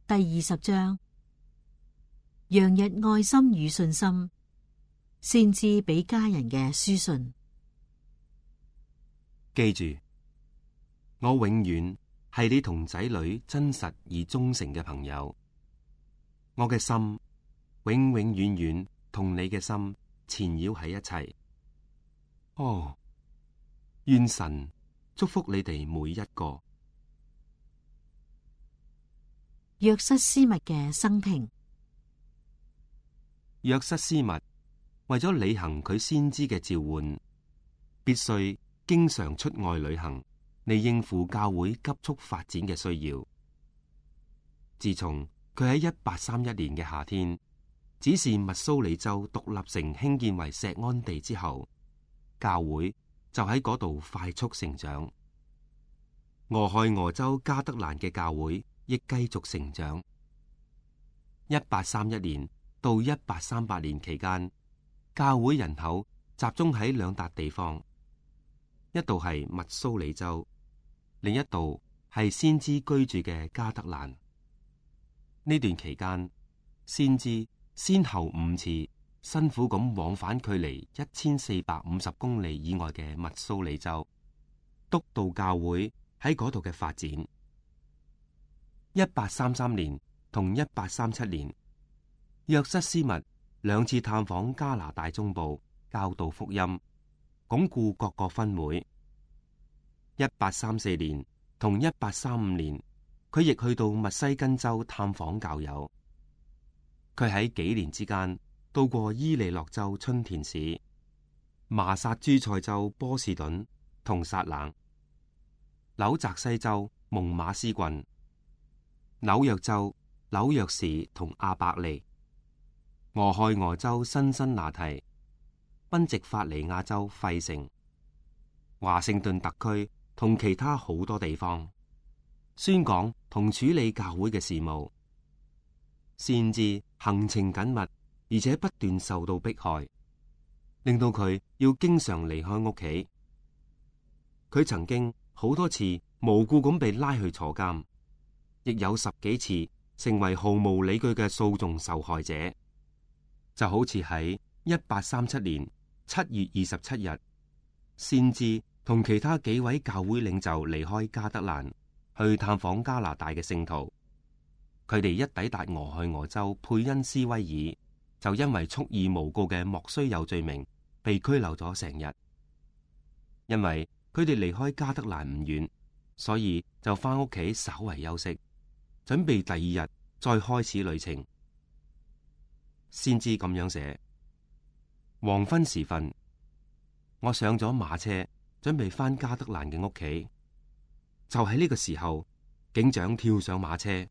第20章，洋溢愛心與信心，先知俾家人嘅書信。記住，我永遠係你同仔女真實而忠誠嘅朋友。我嘅心永永遠遠同你嘅心纏繞喺一齊。哦，願神祝福你哋每一個。約瑟斯密嘅生平。約瑟斯密為咗履行佢先知嘅召喚，必須經常出外旅行，嚟應付教會急速發展嘅需要。自從佢喺1831年嘅夏天指示密蘇里州獨立城興建為錫安地之後，教會就喺嗰度快速成長。俄亥俄州加德蘭嘅教會亦繼續成長。1831年到1838年期間，教會人口集中喺兩笪地方，一度係密蘇里州，另一度係先知居住嘅加德蘭。呢段期間，先知先後5次辛苦咁往返距離1450公里以外嘅密蘇里州，督導教會喺嗰度嘅發展。1833年同1837年，約瑟斯密2次探訪加拿大中部，教導福音，鞏固各個分會。1834年同1835年，佢亦去到密西根州探訪教友。佢喺幾年之間到過伊利諾州春田市、麻薩諸塞州波士頓同薩冷、紐澤西州蒙馬斯郡、紐約州紐約市同阿伯利、俄亥俄州辛辛那提、賓夕法尼亞州費城、華盛頓特區同其他好多地方，宣講同處理教會嘅事務。先知行程緊密，而且不斷受到迫害，令到佢要經常離開屋企。佢曾經好多次無故咁被拉去坐監，亦有10幾次成為毫無理據嘅訴訟受害者。就好似喺1837年7月27日，先知同其他幾位教會領袖離開加德蘭，去探訪加拿大嘅聖徒。佢哋一抵達俄亥俄州佩恩斯威爾，就因為蓄意誣告嘅莫須有罪名，被拘留咗成日。因為佢哋離開加德蘭唔遠，所以就翻屋企稍為休息，準備第2日再開始旅程。先知咁樣寫：黃昏時分，我上咗馬車，準備翻加德蘭嘅屋企。就喺呢個時候，警長跳上馬車，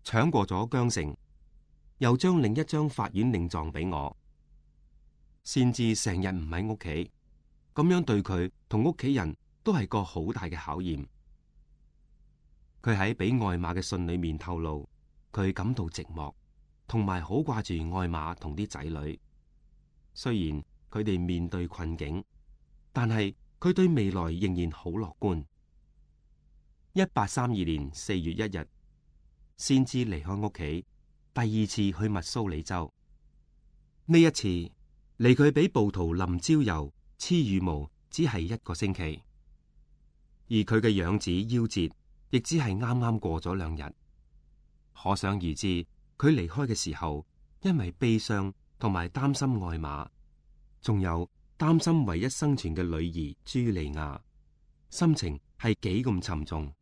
搶過咗韁繩，又將另一張法院令狀俾我。先知成日唔喺屋企，咁樣對佢同屋企人都係個好大嘅考驗。佢喺俾艾瑪嘅信裏面透露，佢感到寂寞，同埋好掛住艾瑪同啲仔女。雖然佢哋面對困境，但係佢對未來仍然好樂觀。1832年4月1日，先知離開屋企，第2次去密蘇里州。呢一次離佢俾暴徒淋焦油、黐羽毛，只係1個星期，而佢嘅養子夭折，亦只係啱啱過咗2日。可想而知，佢離開嘅時候，因為悲傷同埋擔心艾瑪，仲有擔心唯一生存嘅女兒朱莉亞，心情係幾咁沉重。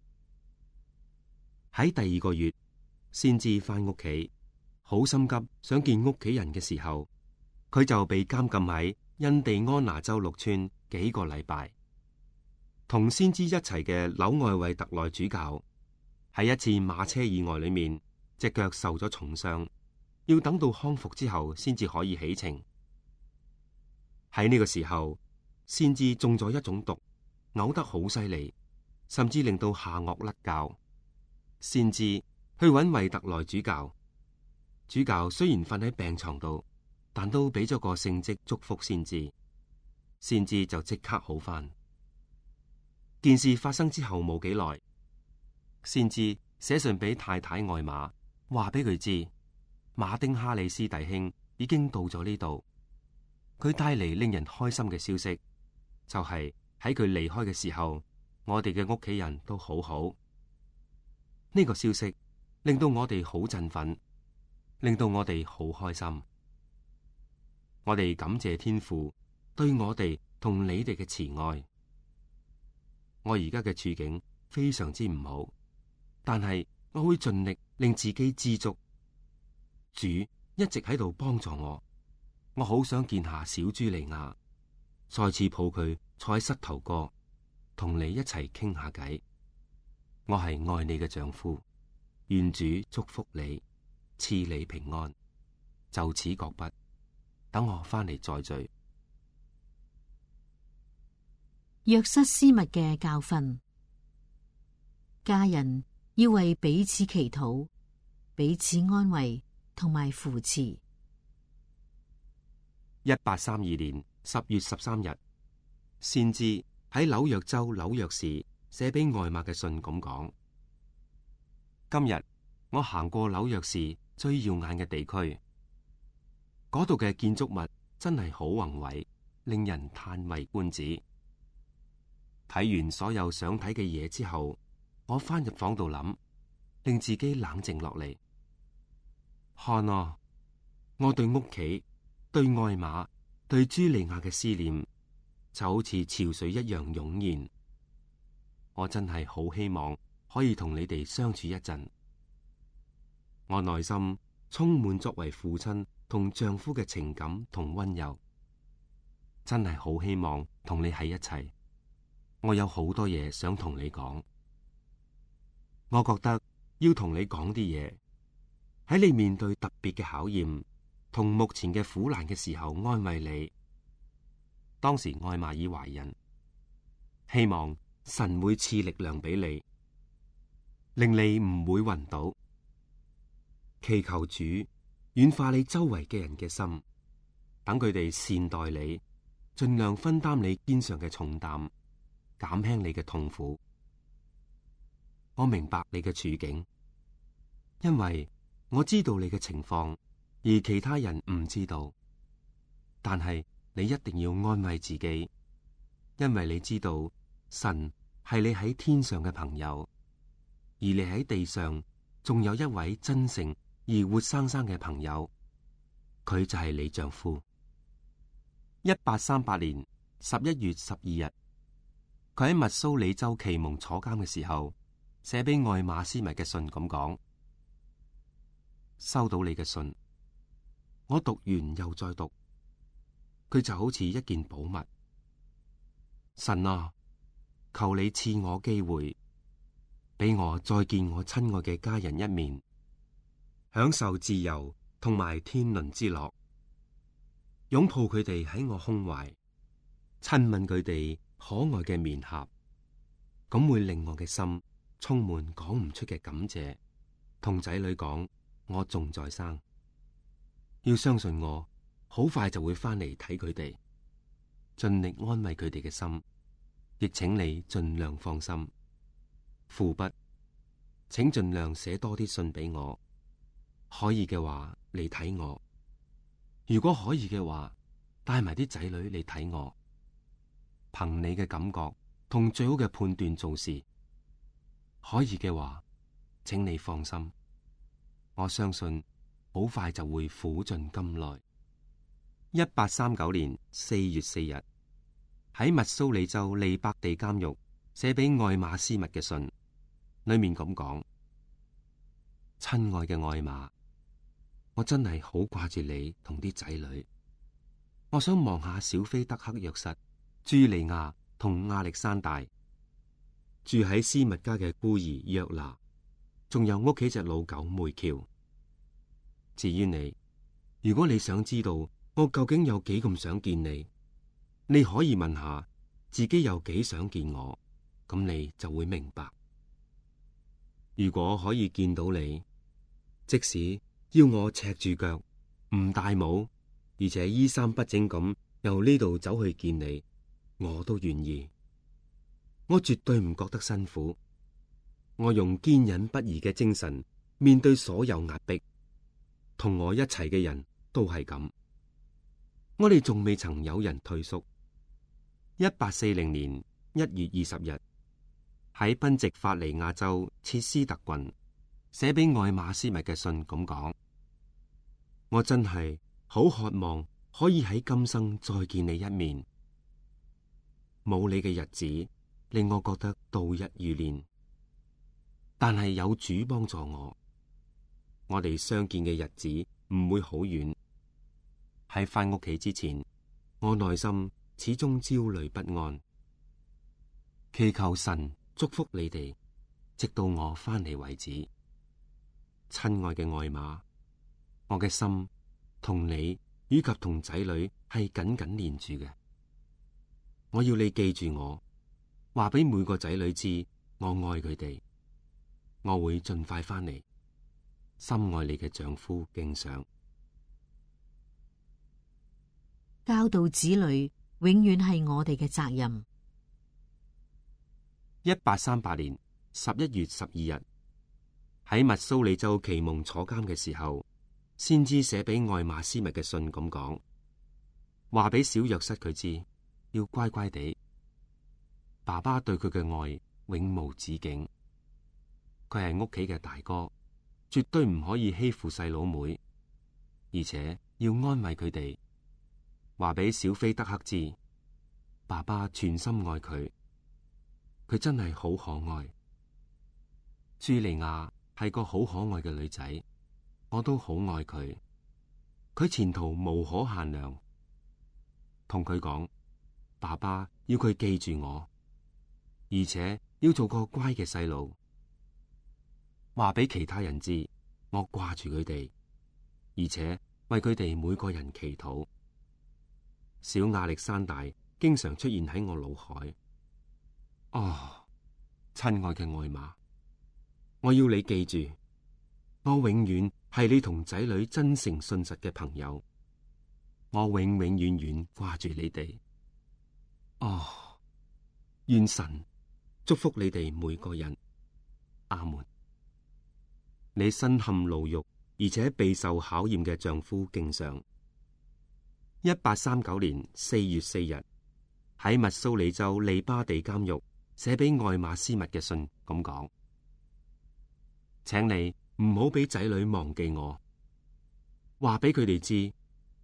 喺第2個月，先至翻屋企，好心急想見屋企人嘅時候，佢就被監禁喺印第安納州陸村幾個禮拜。同先知一齊嘅紐愛維特內主教喺一次馬車意外裏面，隻腳受咗重傷，要等到康復之後先至可以起程。喺呢個時候，先知中咗一種毒，嘔得好犀利，甚至令到下顎甩臼。先知去揾維特內主教，主教雖然瞓喺病床度，但都俾咗個聖蹟祝福先知，先知就即刻好返。件事發生之後冇幾耐，先知寫信俾太太艾瑪，話俾佢知，馬丁哈里斯弟兄已經到咗呢度。佢帶嚟令人開心嘅消息，就係喺佢離開嘅時候，我哋嘅屋企人都好好。呢個消息令到我哋好振奮，令到我哋好開心。我哋感謝天父對我哋同你哋嘅慈愛。我而家嘅處境非常之唔好，但係我會盡力令自己知足。主一直喺度幫助我，我好想見下小茱莉亞，再次抱佢坐喺膝頭哥，同你一齊傾下偈。我係愛你嘅丈夫，願主祝福你，賜你平安。就此擱筆，等我翻嚟再聚。約瑟斯密嘅教訓，家人要為彼此祈禱，彼此安慰同埋扶持。1832年10月13日，先知喺紐約州紐約市寫俾外馬嘅信咁講：今日我行過紐約市最耀眼嘅地區，嗰度嘅建築物真係好宏偉，令人嘆為觀止。睇完所有想睇嘅嘢之後，我翻入房度諗，令自己冷靜落嚟。看啊，我對屋企、對愛馬、對茱莉亞嘅思念，就好似潮水一樣湧現。我真係好希望可以同你哋相處一陣。我內心充滿作為父親同丈夫嘅情感同溫柔，真係好希望同你喺一齊。我有好多嘢想同你講，我覺得要同你講啲嘢，喺你面對特別嘅考驗同目前嘅苦難嘅時候安慰你。當時愛瑪爾懷孕，希望神會賜力量俾你，令你唔會暈倒。祈求主軟化你周圍嘅人嘅心，等佢哋善待你，盡量分擔你肩上嘅重擔，減輕你嘅痛苦。我明白你嘅處境，因為我知道你嘅情況，而其他人唔知道。但係你一定要安慰自己，因為你知道神係你喺天上嘅朋友，而你喺地上仲有一位真誠而活生生嘅朋友，佢就係你丈夫。1838年11月12日，佢喺密蘇里州奇蒙坐監嘅時候，寫俾愛馬斯密嘅信咁講：收到你嘅信，我讀完又再讀，佢就好似一件寶物。神啊，求你賜我機會，俾我再見我親愛嘅家人一面，享受自由同埋天倫之樂，擁抱佢哋喺我胸懷，親吻佢哋可愛嘅面頰，咁會令我嘅心充滿講唔出嘅感謝。同仔女講，我仲在生，要相信我好快就會翻嚟睇佢哋，盡力安慰佢哋嘅心，亦請你盡量放心。父筆，請盡量寫多啲信俾我，可以嘅話嚟睇我，如果可以嘅話，帶埋啲仔女嚟睇我。憑你嘅感覺同最好嘅判斷做事，可以嘅話，請你放心，我相信好快就會苦盡甘來。1839年4月4日，喺密蘇里州利伯地監獄寫俾愛馬斯密嘅信，裏面咁講：親愛嘅愛馬，我真係好掛住你同啲仔女，我想望下小菲德克約瑟、茱莉亞同亞歷山大，住喺斯密家嘅孤兒約拿，仲有屋企隻老狗梅喬。至於你，如果你想知道我究竟有幾咁想見你，你可以問下自己有幾想見我，咁你就會明白。如果可以見到你，即使要我赤住腳，唔戴帽，而且衣衫不整咁由呢度走去見你，我都願意。我絕對唔覺得辛苦，我用堅忍不移嘅精神面對所有壓迫，同我一齊嘅人都係咁。我哋仲未曾有人退縮。1840年1月20日，喺賓夕法尼亞州切斯特郡寫俾愛馬斯密嘅信咁講：我真係好渴望可以喺今生再見你一面。冇你嘅日子令我覺得度日如年，但係有主幫助我哋相見嘅日子唔會好遠。喺返屋企之前，我內心始終焦慮不安，祈求神祝福你哋，直到我翻嚟為止。親愛嘅愛馬，我嘅心同你以及同仔女係緊緊連住嘅。我要你記住我，話俾每個仔女知，我愛佢哋。我會盡快翻嚟。深愛你嘅丈夫敬上。教導子女永遠係我哋嘅責任。1838年11月12日，喺密蘇里州奇蒙坐監嘅時候，先知寫俾愛馬斯密嘅信咁講，話俾小約瑟佢知，要乖乖地。爸爸對佢嘅愛永無止境。佢係屋企嘅大哥，絕對唔可以欺負細佬妹，而且要安慰佢哋。話俾小菲德克知，爸爸全心愛佢，佢真係好可愛。朱莉亞係個好可愛嘅女仔，我都好愛佢，佢前途無可限量。同佢講，爸爸要佢記住我，而且要做個乖嘅細路。話俾其他人知，我掛住佢哋，而且為佢哋每個人祈禱。小亞歷山大經常出現喺我腦海。哦，親愛嘅愛馬，我要你記住，我永遠係你同仔女真誠信實嘅朋友。我永永遠遠掛住你哋。哦，願神祝福你哋每個人。阿門。你身陷牢獄而且備受考驗嘅丈夫敬上。1839年4月4日，喺密蘇里州利巴地監獄寫俾愛馬斯密嘅信咁講：請你唔好俾仔女忘記我，話俾佢哋知，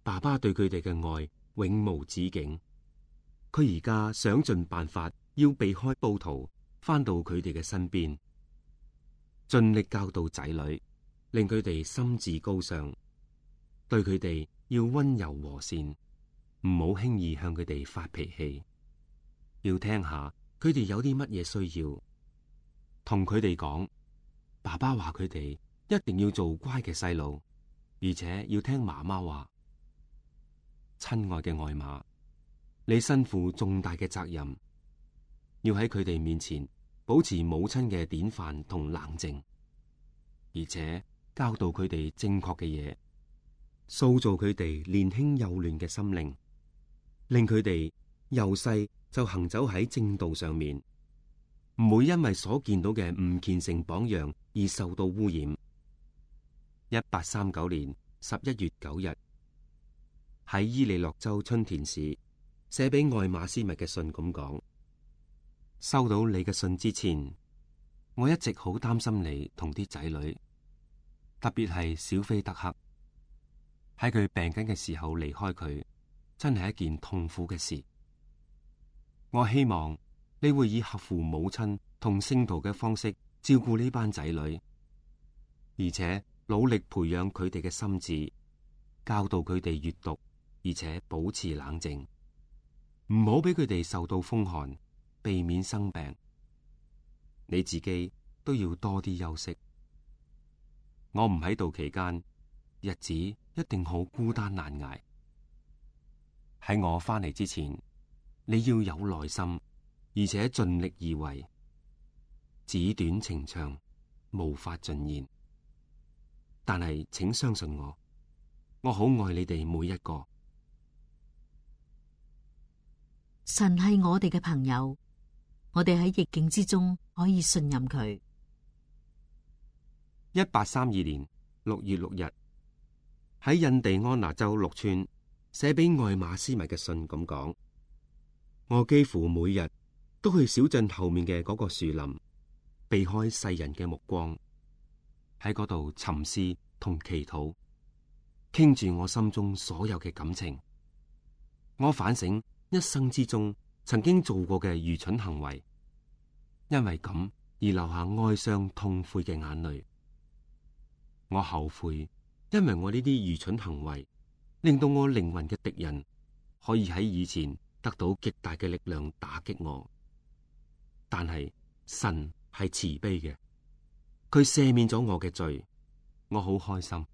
爸爸對佢哋嘅愛永無止境。佢而家想盡辦法要避開暴徒，翻到佢哋嘅身邊，盡力教導仔女，令佢哋心智高尚，對佢哋要溫柔和善，唔好輕易向佢哋發脾氣，要聽下佢哋有啲乜嘢需要，同佢哋講，爸爸話佢哋一定要做乖嘅細路，而且要聽媽媽話。親愛嘅愛馬，你身負重大嘅責任，要喺佢哋面前保持母親嘅典範同冷靜，而且教導佢哋正確嘅嘢，塑造佢哋年輕幼嫩嘅心靈，令佢哋由細就行走喺正道上面，唔會因為所見到嘅唔虔誠榜樣而受到污染。1839年11月9日，喺伊利諾州春田市寫俾愛馬斯密嘅信咁講：收到你嘅信之前，我一直好擔心你同啲仔女，特別係小菲德克。喺佢病緊嘅時候離開佢，真係一件痛苦嘅事。我希望你會以合乎母親同聖徒嘅方式照顧呢班仔女，而且努力培養佢哋嘅心智，教導佢哋閱讀，而且保持冷靜，唔好俾佢哋受到風寒，避免生病。你自己都要多啲休息。我唔喺度期間，日子一定好孤單難捱。喺我翻嚟之前，你要有耐心，而且盡力而為。紙短情長，無法盡言。但係請相信我，我好愛你哋每一個。神係我哋嘅朋友，我哋喺逆境之中可以信任佢。1832年6月6日，喺印第安納州陸川寫俾愛馬斯密嘅信咁講：我幾乎每日都去小鎮後面嘅嗰個樹林，避開世人嘅目光，喺嗰度沉思同祈禱，傾住我心中所有嘅感情。我反省一生之中曾經做過嘅愚蠢行為，因為咁而流下哀傷痛悔嘅眼淚。我後悔，因為我呢啲愚蠢行為令到我靈魂嘅敵人可以喺以前得到極大嘅力量打擊我。但係神係慈悲嘅，佢赦免咗我嘅罪，我好開心，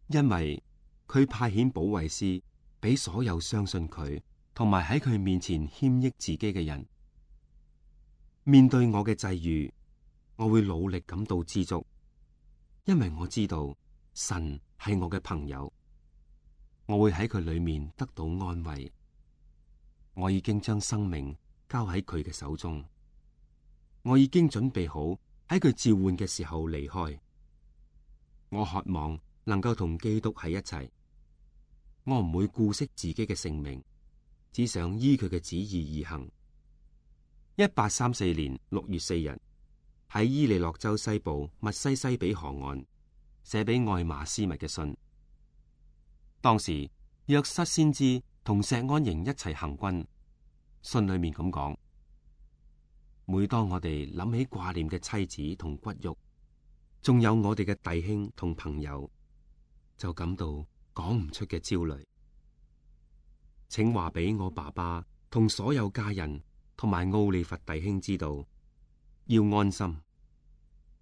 因為佢派遣保惠師俾所有相信佢同埋喺佢面前謙抑自己嘅人。面對我嘅際遇，我會努力感到知足，因為我知道神係我嘅朋友，我會喺佢裏面得到安慰。我已經將生命交喺佢嘅手中，我已經準備好喺佢召喚嘅時候離開。我渴望能夠同基督喺一齊，我唔會顧惜自己嘅性命，只想依佢嘅旨意而行。1834年6月4日，喺伊利諾州西部密西西比河岸寫俾愛馬斯密嘅信。當時約瑟先知同錫安營一齊行軍，信裏面咁講：每當我哋諗起掛念嘅妻子同骨肉，仲有我哋嘅弟兄同朋友，就感到講唔出嘅焦慮。請話俾我爸爸同所有家人同埋奧利弗弟兄知道，要安心，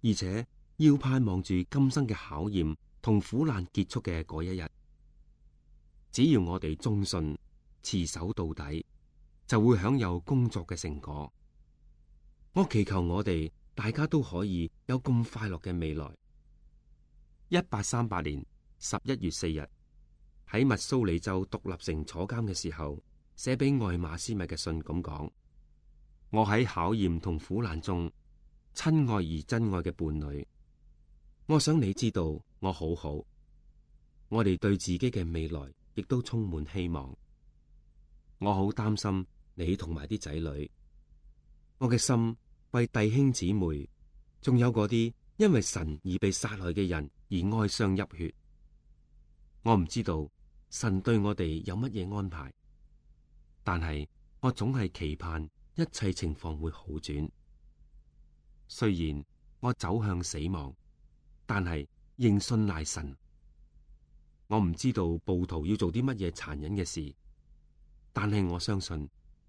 而且要盼望住今生嘅考驗同苦難結束嘅嗰一日。只要我哋忠信持守到底，就會享有工作嘅成果。我祈求我哋大家都可以有咁快樂嘅未來。1838年11月4日，喺密蘇里州獨立城坐監嘅時候，寫俾愛馬斯密嘅信咁講：我喺考驗同苦難中，親愛而真愛嘅伴侶，我想你知道我好好。我哋對自己嘅未來亦都充滿希望。我好擔心你同埋啲仔女，我嘅心為弟兄姊妹，仲有嗰啲因為神而被殺害嘅人而哀傷泣血。我唔知道神對我哋有乜嘢安排，但係我總係期盼一切情況會好轉。雖然我走向死亡，但係仍信賴神。我唔知道暴徒要做啲乜嘢殘忍嘅事，但係我相信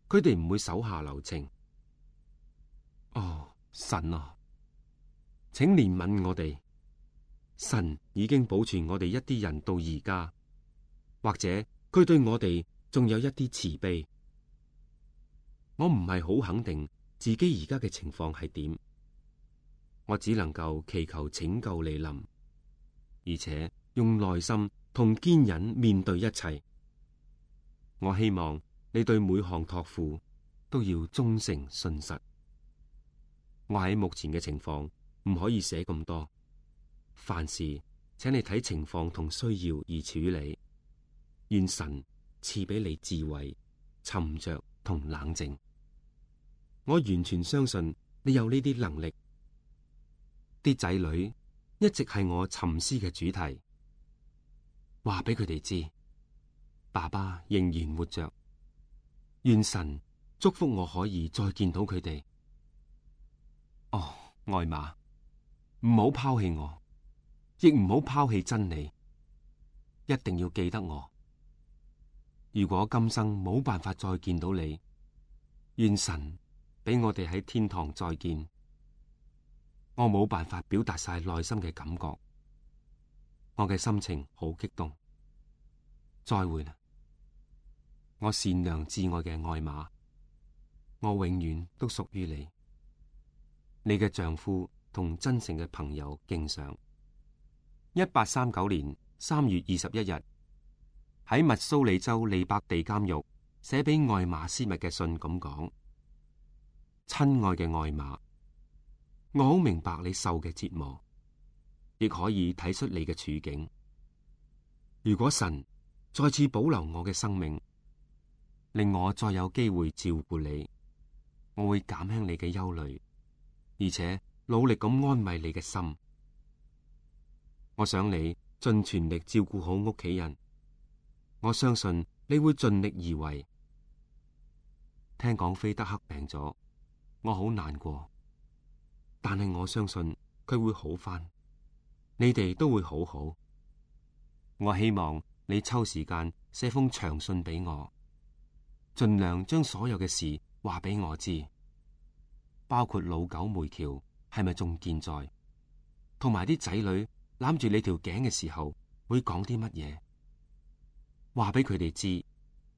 佢哋唔會手下留情。哦，神啊，請憐憫我哋。神已經保存我哋一啲人到而家，或者佢對我哋仲有一啲慈悲。我唔係好肯定自己而家嘅情況係點，我只能夠祈求拯救嚟臨，而且用耐心同堅忍面對一切。我希望你對每項託付都要忠誠信實。我喺目前嘅情況唔可以寫咁多，凡事請你睇情況同需要而處理。願神賜俾你智慧、沉着同冷靜。我完全相信你有呢啲能力。啲仔女一直係我沉思嘅主題。話俾佢哋知，爸爸仍然活着。願神祝福我可以再見到佢哋。哦，愛馬，唔好拋棄我，亦唔好拋棄真理。一定要記得我。如果今生冇辦法再見到你，願神俾我哋喺天堂再見。我冇辦法表達晒內心嘅感覺，我嘅心情好激動。再會啦，我善良至愛嘅愛馬，我永遠都屬於你。你嘅丈夫同真誠嘅朋友敬上。1839年3月21日，喺密蘇里州利伯地監獄寫俾愛馬斯密嘅信咁講：親愛嘅愛馬，我好明白你受嘅折磨，亦可以體恤你嘅處境。如果神再次保留我嘅生命，令我再有機會照顧你，我會減輕你嘅憂慮，而且努力咁安慰你嘅心。我想你盡全力照顧好屋企人，我相信你會盡力而為。聽講菲德克病咗，我好難過，但係我相信佢會好返，你哋都會好好。我希望你抽時間寫封長信俾我，盡量將所有嘅事話俾我知，包括老狗梅喬係咪仲健在，同埋啲仔女攬住你條頸嘅時候會講啲乜嘢，話俾佢哋知，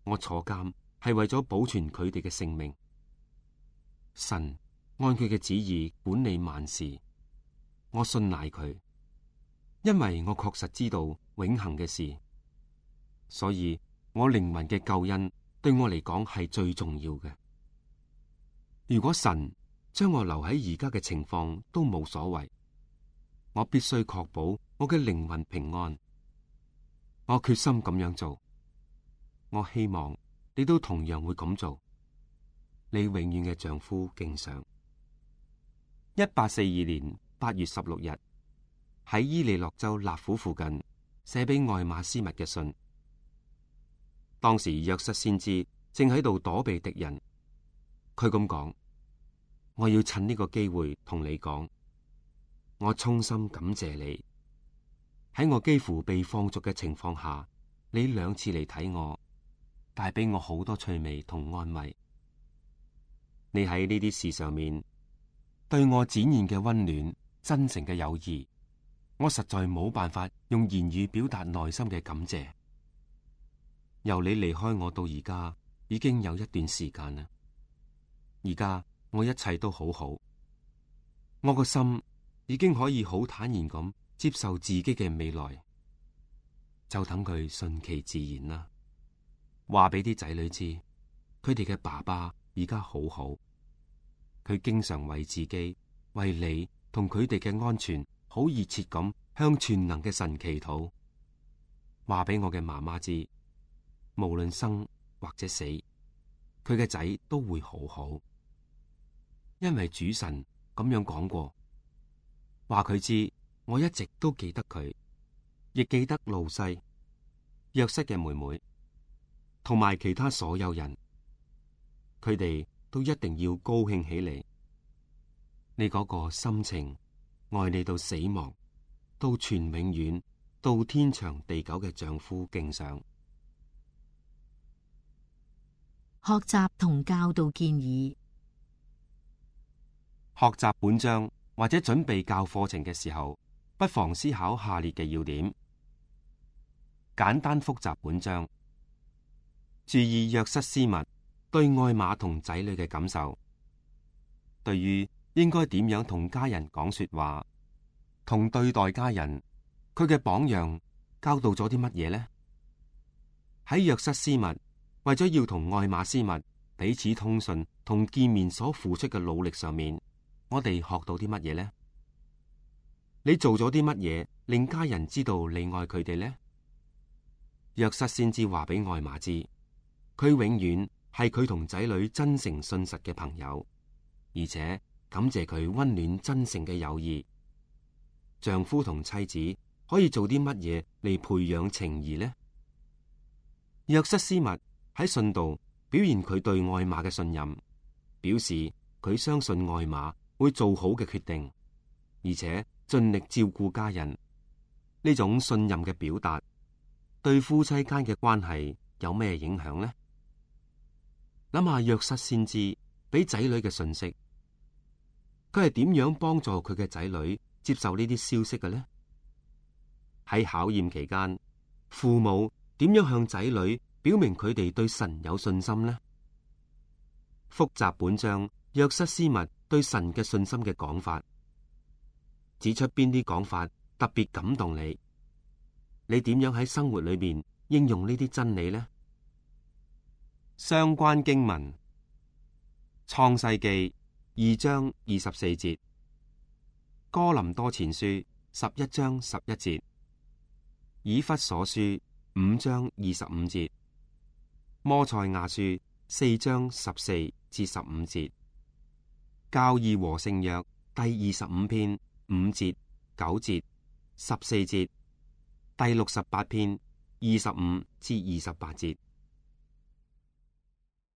我坐監係為咗保存佢哋嘅性命。神按佢嘅旨意管理萬事，我信賴佢，因為我確實知道永恆嘅事，所以我靈魂嘅救恩對我嚟講係最重要嘅。如果神將我留喺而家嘅情況都冇所謂，我必須確保我嘅靈魂平安。我決心咁樣做，我希望你都同樣會咁做。你永遠嘅丈夫敬上。1842年8月16日，喺伊利諾州納府附近寫俾愛馬斯密嘅信。當時約瑟先知正喺度躲避敵人，佢咁講：我要趁呢個機會同你講，我衷心感謝你，喺我幾乎被放逐嘅情況下，你2次嚟睇我，帶俾我好多趣味同安慰。你喺呢啲事上面對我展現嘅溫暖、真誠嘅友誼，我實在冇辦法用言語表達內心嘅感謝。由你離開我到而家已經有一段時間啦，而家我一切都好好，我個心已經可以好坦然咁接受自己嘅未來，就等佢順其自然啦。話俾啲仔女知，佢哋嘅爸爸而家好好，佢經常為自己、為你同佢哋嘅安全，好熱切咁向全能嘅神祈禱。話俾我嘅媽媽知，無論生或者死，佢嘅仔都會好好，因為主神咁樣講過。話佢知，我一直都記得佢，亦記得路西、約瑟嘅妹妹，同埋其他所有人，佢哋都一定要高興起嚟。你嗰個心情愛你到死亡，到全永遠，到天長地久嘅丈夫敬上。學習同教導建議。學習本章或者準備教課程嘅時候，不妨思考下列嘅要點：簡單複習本章，注意約瑟斯密對愛瑪同仔女嘅感受，對於應該點樣同家人講說話，同對待家人，佢嘅榜樣教導咗啲乜嘢呢？喺約瑟斯密為咗要同愛瑪斯密彼此通訊同見面所付出嘅努力上面，我哋學到啲乜嘢呢？你做咗啲乜嘢令家人知道你愛佢哋呢？約瑟先知話俾愛瑪知，佢永遠係佢同仔女真誠信實嘅朋友，而且感謝佢溫暖真誠嘅友誼。丈夫同妻子可以做啲乜嘢嚟培養情誼呢？約瑟斯密喺信度表現佢對愛瑪嘅信任，表示佢相信愛瑪會做好嘅決定，而且盡力照顧家人。呢種信任嘅表達對夫妻間嘅關係有咩影響呢？諗下約瑟先知俾仔女嘅信息，佢係點樣幫助佢嘅仔女接受呢啲消息嘅呢？喺考驗期間，父母點樣向仔女表明佢哋對神有信心呢？複習本章約瑟斯密對神嘅信心嘅講法，指出邊啲講法特別感動你，你點樣喺生活裏面應用呢啲真理呢？相關經文：創世記2章24節，哥林多前書11章11節，以弗所書5章25節，摩賽亞書4章14至15節，教義和聖約第25篇5節、9節、14節，第68篇25至28節。